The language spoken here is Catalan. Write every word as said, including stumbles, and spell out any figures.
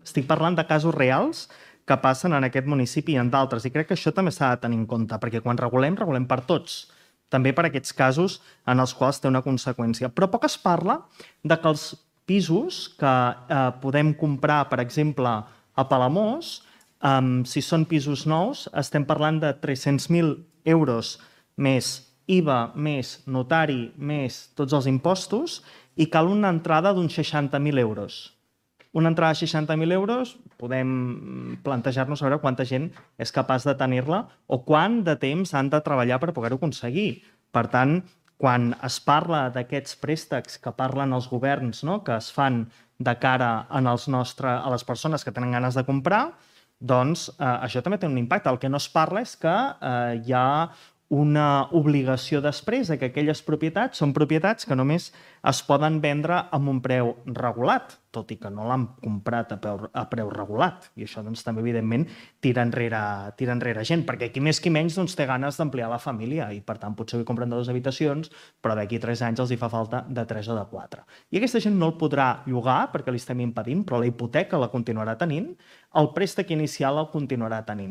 estic parlant de casos reals que passen en aquest municipi i en d'altres, i crec que això també s'ha de tenir en compte, perquè quan regulem, regulem per tots, també per aquests casos en els quals té una conseqüència. Però poc es parla de que els pisos que eh, podem comprar, per exemple, a Palamós, eh, si són pisos nous, estem parlant de tres-cents mil euros més I V A, més notari, més tots els impostos, i cal una entrada d'uns seixanta mil euros. Una entrada de seixanta mil euros, podem plantejar-nos a veure quanta gent és capaç de tenir-la o quant de temps han de treballar per poder-ho aconseguir. Per tant, quan es parla d'aquests préstecs que parlen els governs, no?, que es fan de cara en els nostre, a les persones que tenen ganes de comprar, doncs eh, això també té un impacte. El que no es parla és que eh, hi ha una obligació després que aquelles propietats són propietats que només es poden vendre amb un preu regulat, tot i que no l'han comprat a preu, a preu regulat. I això doncs, també, evidentment, tira enrere, tira enrere gent, perquè qui més qui menys doncs, té ganes d'ampliar la família i, per tant, potser avui compren de dues habitacions, però d'aquí tres anys els hi fa falta de tres o de quatre. I aquesta gent no el podrà llogar perquè li estem impedint, però la hipoteca la continuarà tenint, el préstec inicial el continuarà tenint.